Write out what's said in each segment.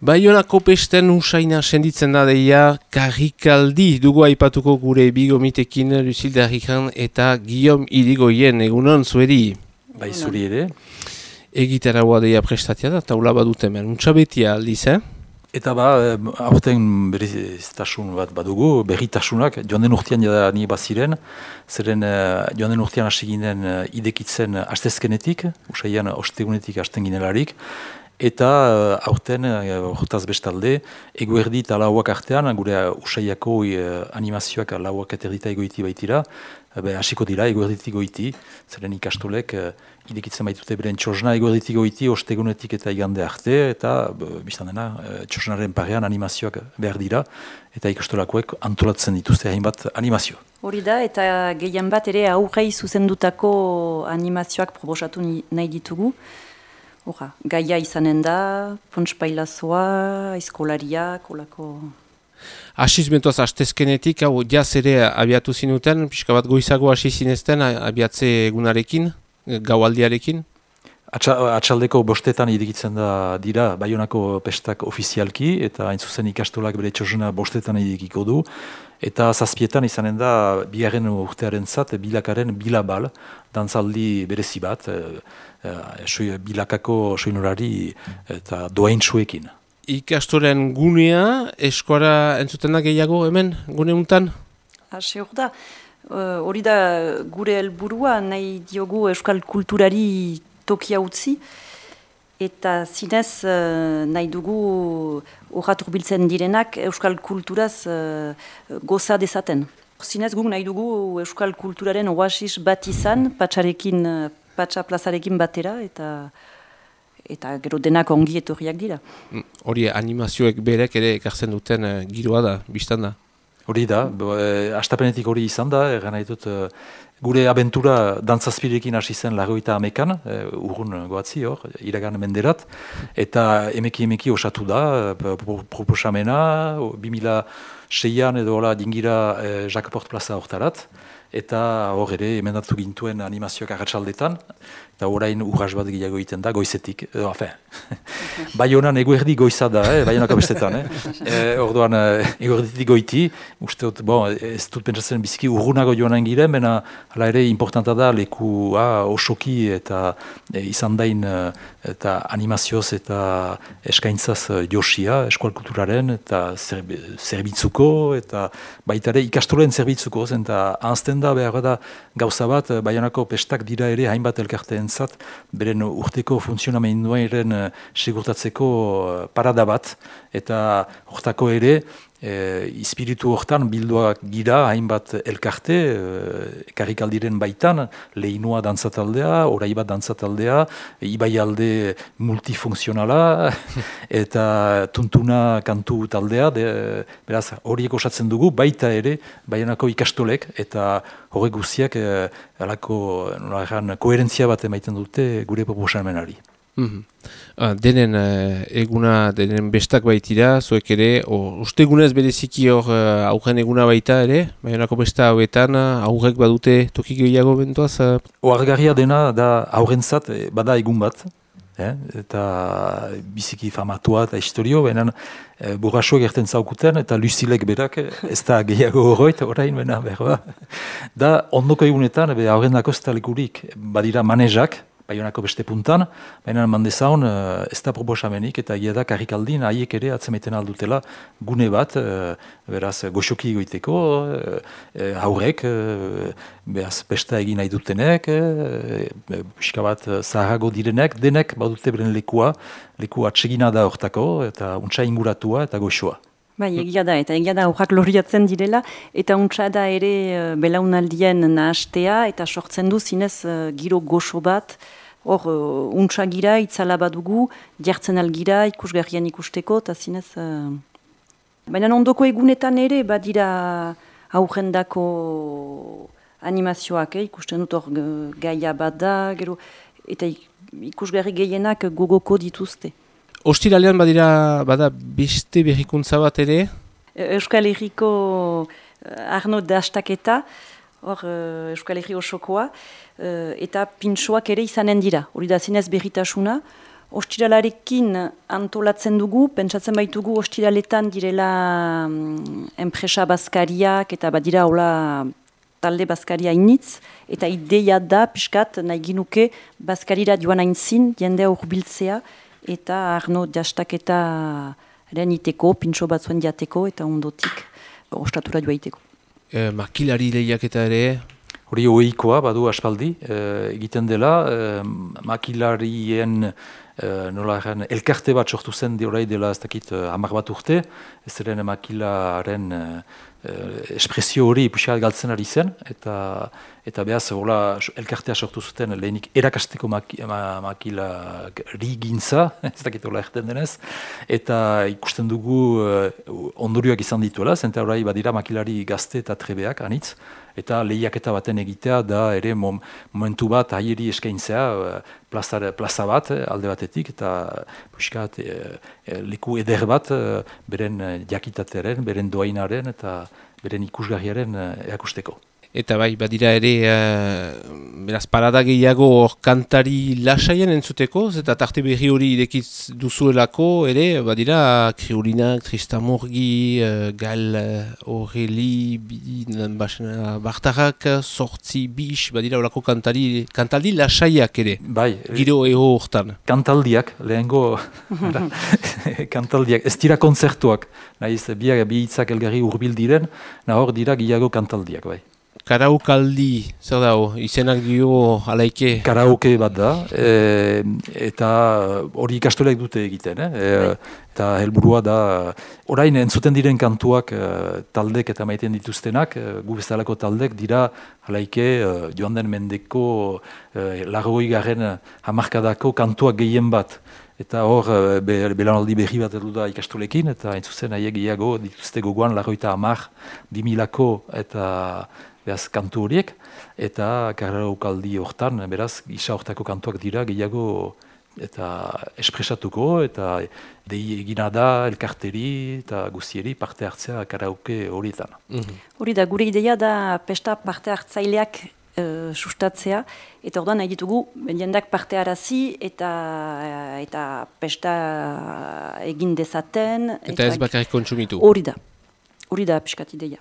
Baionako pesten usaina senditzen da deia karrikaldi dugu aipatuko gure bigomitekin Lucilde Arrijan eta Guillaume Irigoyen egunon zueri. Bai zuri ere. Egitaragoa deia prestatia da, taula badut hemen, untxabetia aldiz, Eta aurten berriztasun bat badugu, berritasunak, joan den urtean jada ni baziren, zeren joan den urtean hasi ginen idekitzen astezkenetik, usaian ostegunetik hasten ginelarik, eta aurten, hortaz bestalde, eguerdi eta lauak artean, gure usaiako animazioak lauak eterdita egoiti baitira, hasiko dira eguerditik goiti, zeren ikastolek idekitzen baitute beren txosna eguerditik goiti, ostegunetik eta igande arte, eta biztan dena, txosnaren parean animazioak behar dira, eta ikastolakoek antolatzen dituzte hainbat animazio. Hori da, eta gehien bat ere aurrei zuzendutako animazioak proposatu nahi ditugu. Hora, gaia izanen da, pontspailazoa, aizkolaria, kolako... Asizmentoaz astezkenetik, hau jaz ere abiatu zinuten, pixka bat goizago hasi zinezten abiatze egunarekin, gaualdiarekin? Atxaldeko bostetan idekitzen da dira Baionako pestak ofizialki, eta hain zuzen ikastolak bere txosna bostetan idekiko du, eta zazpietan izanen da bigarren urtearen zat, bilakaren bilabal, dantzaldi berezi bat, bilakako soinurari eta doaintsuekin. Ikastoren gunea, eskora entzuten da gehiago hemen, gune untan? Hori da gure helburua nahi diogu euskal kulturari tokia utzi, eta zinez nahi dugu horrat urbiltzen direnak euskal kulturaz goza dezaten. Zinez guk nahi dugu euskal kulturaren oasis bat izan, patxa plazarekin batera, eta gero denak ongi etorriak dira. Hori animazioek berek ere ekartzen duten giroa da, biztan da? Hori da, astapenetik hori izan da, egan nahi dut, gure abentura dantzazpirekin hasi zen 80ean, urrun goatzi hor, iragan menderat, eta emeki osatu da, proposamena, 2006an edo dingira Jakaport plaza hortarat, eta hor ere emendatu gintuen animazioak arratsaldetan, eta orain urras bat gehiago egiten da, goizetik, Baionan eguerdi goiza da, Baionako bestetan, orduan eguerditik goiti, uste dut, ez dut pentsatzen biziki urrunago joanen giren, bena hala ere importanta da lekua osoki eta izan dain eta animazioz eta eskaintzaz josia, eskual kulturaren eta zerbitzuko, eta baita ere ikastolen zerbitzuko, eta ahazten da behar da gauza bat, Baionako pestak dira ere hainbat elkarteen zat, beren urteko funtzionamenduaren segurtatzeko parada bat, eta hortako ere, espiritu hortan bilduak gira hainbat elkarte, karrikaldiren baitan, lehinoa dantzataldea, oraibat dantzataldea, ibaialde multifuntzionala, eta tuntuna kantu taldea, beraz horiek osatzen dugu, baita ere, Baionako ikastolek, eta horrek guztiak koherentzia bat emaiten dute gure proposamenari. Denen eguna, denen bestak baitira, zuek ere, ustegunez bereziki hor aurren eguna baita ere, Baionako besta hauetan aurrek badute toki gehiago bentoaz? Oargarria dena da aurrentzat bada egun bat, eta biziki famatua eta historio, benen burrasoek erten zaukuten, eta Lucilek berak, ez da gehiago horroit, orain, bena, berba. Da, ondoko egunetan, aurrendako ez da lekurik, badira manezak, Baionako beste puntan, baina mandezaun ez da proposamenik, eta egia da karrikaldin haiek ere atzemaiten aldutela gune bat, beraz goxoki egoiteko, haurek, beraz besta egin nahi dutenek, pixka bat zaharago direnek, denek badute beren leku atsegina da hortako, eta untsa inguratua eta goxoa. Bai, egia da horrak loriatzen direla, eta untsa da ere belaunaldien nahastea, eta sortzen du zinez giro goxo bat, hor untsa gira, itzala badugu, jartzen algira, ikusgarrian ikusteko, eta zinez... Baina ondoko egunetan ere, badira aurrendako animazioak, ikusten dut hor gaia bat da, gero, eta ikusgarri gehienak gogoko dituzte. Ostiralean bada beste berrikuntza bat ere? Euskal Herriko Arno dastaketa, hor Euskal Herri osokoa, eta pintxoak ere izanen dira. Hori da zinez berritasuna, ostiralarekin antolatzen dugu, pentsatzen baitugu ostiraletan direla enpresa bazkariak eta badira hola talde bazkaria initz, eta ideia da, piskat, nahi ginuke bazkarira joan aintzin, jendea urbiltzea, eta Arno jastaketa iteko, pintxo batzuen jateko, eta ondotik ostatura joaiteko. Makilari lehiaketa ere? Hori ohikoa badu aspaldi, egiten dela, makilarien elkarte bat sortu zen orai dela ez dakit 10 bat urte, ez ziren makilaren espresio hori puxat galtzen ari zen, eta behaz elkartea sortu zuten lehenik erakasteko makilari gintza, ez dakit hola erten denez, eta ikusten dugu ondorioak izan dituela, zenta orai badira makilari gazte eta trebeak anitz, eta lehiaketa baten egitea da ere momentu bat haieri eskaintzea plaza bat alde batetik, eta puxkat leku eder bat beren jakitatearen, beren doainaren eta beren ikusgarriaren erakusteko. Eta bai, badira ere, beraz, parada gehiago kantari lasaien entzuteko, eta tarte berri hori irekiz duzuelako ere, badira, Kriolinak, Tristamurgi, Gal Horreli, Bartarak, Sortzi, Bix, badira horako kantaldi lasaiak ere, bai, giro ego hortan. Kantaldiak, lehengo, kantaldiak, ez dira kontzertuak, nahiz, bi hitzak elgarri hurbil diren, nahor dira gehiago kantaldiak, bai. Karaukaldi, zer dago, izenak dio alaike? Karaoke bat da, eta hori ikastolek dute egiten, eta helburua da, orain entzuten diren kantuak taldek eta maiten dituztenak, gu bezalako taldek dira alaike joan den mendeko 80. hamarkadako kantuak gehien bat. Eta hor, belanaldi berri bat edu da ikastolekin, eta entzuzen haiek gehiago dituzte gogoan 80, 2000ako eta beraz kantu horiek, eta karaukaldi hortan, beraz, gisa hortako kantuak dira gehiago eta espresatuko, eta dei egina da elkarteri eta guztieri parte hartzea karaoke horietan. Hori da, gure ideia da pesta parte hartzaileak sustatzea, eta orduan nahi ditugu jendak parte harazi eta pesta egin dezaten. Eta ez bakarrik kontsumitu. Hori da piskat ideia.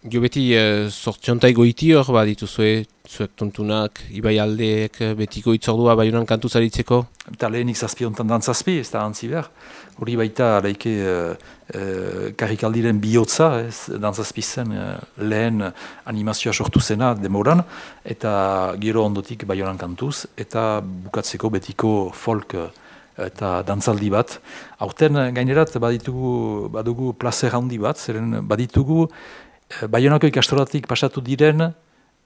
Jo beti sortziontai goiti hor bat dituzue, zuek tontunak, Ibai aldeek, betiko itzordua Baionan kantu zaritzeko? Eta lehenik zazpi ontan dantzazpi, ez da antzi behar. Hori baita alaike karrikaldiren bihotza, dantzazpi zen lehen animazioa sortu zena demoran, eta gero ondotik Baionan kantuz, eta bukatzeko betiko folk eta dantzaldi bat. Aurten gainerat badugu plazer handi bat, zeren baditugu Baionako ikastoratik pasatu diren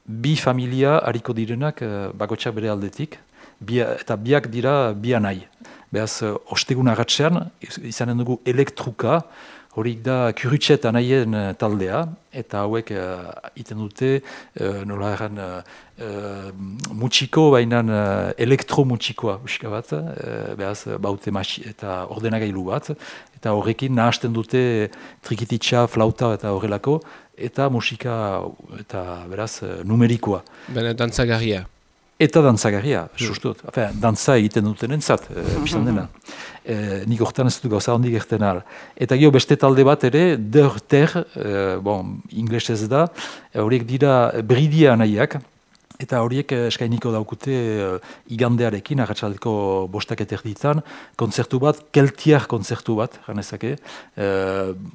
bi familia hariko direnak bakotsak bere aldetik, eta biak dira bianai. Beraz, ostegun agatzean, izanen dugu elektruka, horik da Kurutxet anaien taldea, eta hauek iten dute, nola erran, mutxiko, baina elektromutxikoa, uska bat, beraz, baute eta ordenagailu bat, eta horrekin nahasten dute trikititxa, flauta eta horrelako, eta musika eta beraz numerikoa. Bene dantzagarria. Eta dantzagarria, sustut. Dantza egiten duten entzat, biztan dena. Nik hortan ez dut gauza hondik erten ahal. Eta gero beste talde bat ere, der, inglesez da, horiek dira bridia nahiak, eta horiek eskainiko daukute igandearekin, arratsaldeko 5 erditan, kontzertu bat, keltiar kontzertu bat, ganezake,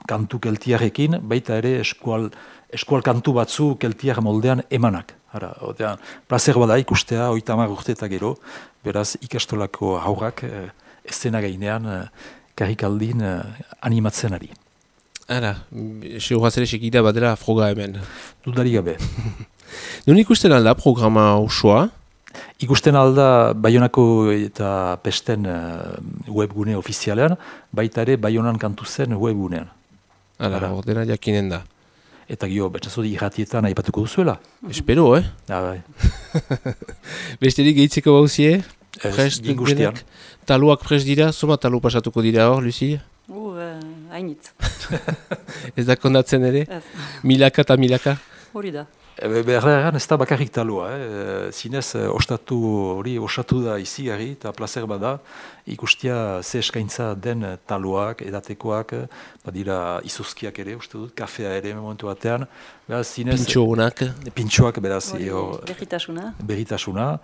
kantu keltiarekin, baita ere eskual kantu batzu keltiar moldean emanak. Plazer bada ikustea, 30 urte eta gero, beraz ikastolako haurrak eszena gainean karrikaldin animatzen ari. Ara, seguraz ere sekida badera froga hemen. Dudari gabe. Non ikusten alda programa osoa? Ikusten alda Baionako eta Pesten webgune ofizialean, baita ere Baionan kantu zen webgunean. Ara, ordena jakinen da. Eta gio, betxazodi irratietan aipatuko duzuela. Espero, Bai. Besterik gehitzeko bauzie? Guztian. Taluak prest dira? Zoma talu pasatuko dira hor, Lucy? Hainitz. Ez da kondatzen ere? Milaka eta milaka? Hori da. Berrean ez da bakarrik talua, zinez osatu da izigarri eta placer bada, ikustia ze eskaintza den taluak, edatekoak, badira izuzkiak ere, uste dut, kafea ere momentu batean, Pintxo honak. Pintxoak, beraz, berritasuna,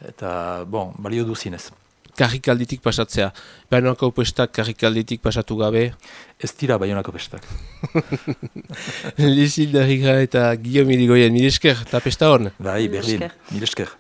eta, balio du zinez. Karrikalditik pasatzea. Baionako pestak karrikalditik pasatu gabe? Ez dira Baionako pestak. Lizilda Riga eta Guillaume Irigoyen, mil esker, eta pesta hon? Bai, berdin, mil esker.